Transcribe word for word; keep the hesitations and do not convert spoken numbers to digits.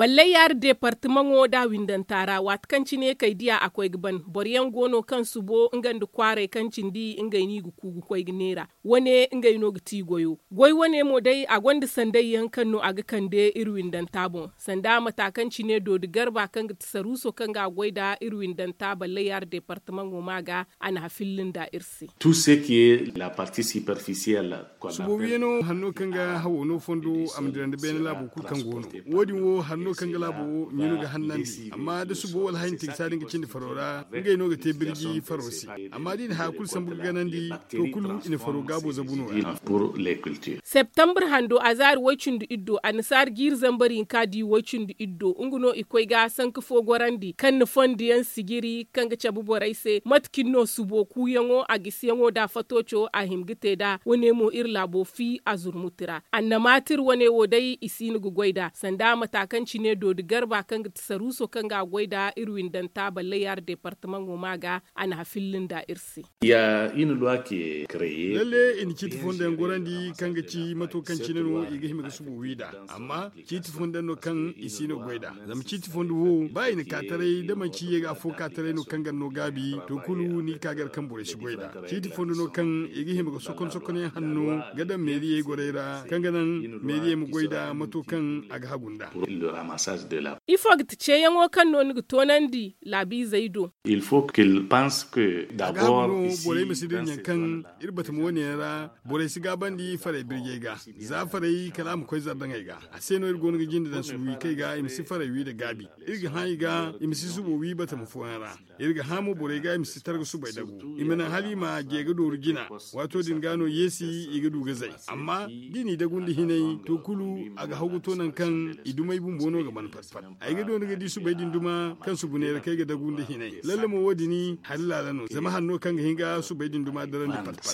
Ballay yaari deepartamaŋo da windanta ra waati kaŋ cine kay diya a koy ga ban boro yaŋ go no kaŋ subo nga nda kwaaray kaŋ cindi ngey no i ga ku ga koy ga neera. Wane ngey no ga ti goyo goy wane mo day a gonda sanday yaŋ kaŋ no a ga kande iri windanta boŋ sanda mata kaŋ cine doodi garba kaŋ ga ti saruuso kaŋ ga a goy nda iri windanta ballay yaari deepartamaŋo ma ga a na hafilli nda iri se. Subo wiyano hanno kaŋ ga hawo no fondo a ma dirandi beene laabo kulu kaŋ go no. Wo- din wo hanno kaŋ ga laabo wo ɲunu ga hannandi amma da subo wala hayanti ga saadi nga cindi faro ra ngey no ga te birji faro se. Amma da i na haya kulu sambu ga ganandi to kulu i na faro gaabo zabu no ra. Septembre hando a zaari woy cindi iddo annasaari jiiri zambar hinka di woy cindi iddo nga no i koy ga sanka fo gorandi kaŋ na fondo yaŋ sijiri kaŋ ga cabe borey se mate cine no subo kuuyaŋo a gisiyaŋo nda fatooco a hima ga te nd'a wane mo iri laabo fi a zurmuti ra annamaatir wane wo day i si no ga goy nd'a sanda mata kaŋ cine doodi garba kaŋ ga ti saruuso kaŋ ga a goy nda iri windanta ballay yaari deepartamaŋo ma ga a na hafilli nda iri se. Lalle i na ciiti fondo yaŋ gorandi kaŋ ga ci mato kaŋ cine no i ga hima ga subo wi nd'a amma ciiti fondo yaŋ no kaŋ i si no ga goy nd'a. Zama ciiti fondo wo ba i na ka taray da manci ye ga afo ka taray no kaŋ ga no gaabi to kulu ni ga ka gar kaŋ borey si goy nd'a. Ciiti fondo no kaŋ i ga hima ga sokon sokon yaŋ hanno ga daŋ meeriyey gorey ra kaŋ ga naŋ meeriyey ma goy nd'a mato kaŋ a ga hagu nd'a. Ifo ga ti ceeyaŋo kaŋ no ni ga toonandi laabiizey do? A ga hagu no borey ma si dira ɲaŋ kaŋ iri batama wane yaŋ ra borey si gaabandi farey birjey ga. Za farey kala a ma koy zardaŋey ga a se no iri go no ga jinde daŋ subu wi kay ga i ma si farey wi nda gaabi. Iri ga hã i ga i ma si subo wi batama fooyaŋ ra. Iri ga hã mo borey ga i ma si targa subay dagu i ma naŋ hala i ma je ga dooru jina. Waato din ga no yeesi i ga du ga zay amma da i n'i dagu nda hinay to kulu a ga haw ga to nangu kaŋ i dumey bumbo no ga ban pat pat. Ay ga doona ga di subay din duma kaŋ subu neera kaŋ ay ga dagu nda hinay lalle mo wo- din hari laala no zama hanno kaŋ ga hin ga subay din duma darandi pat pat.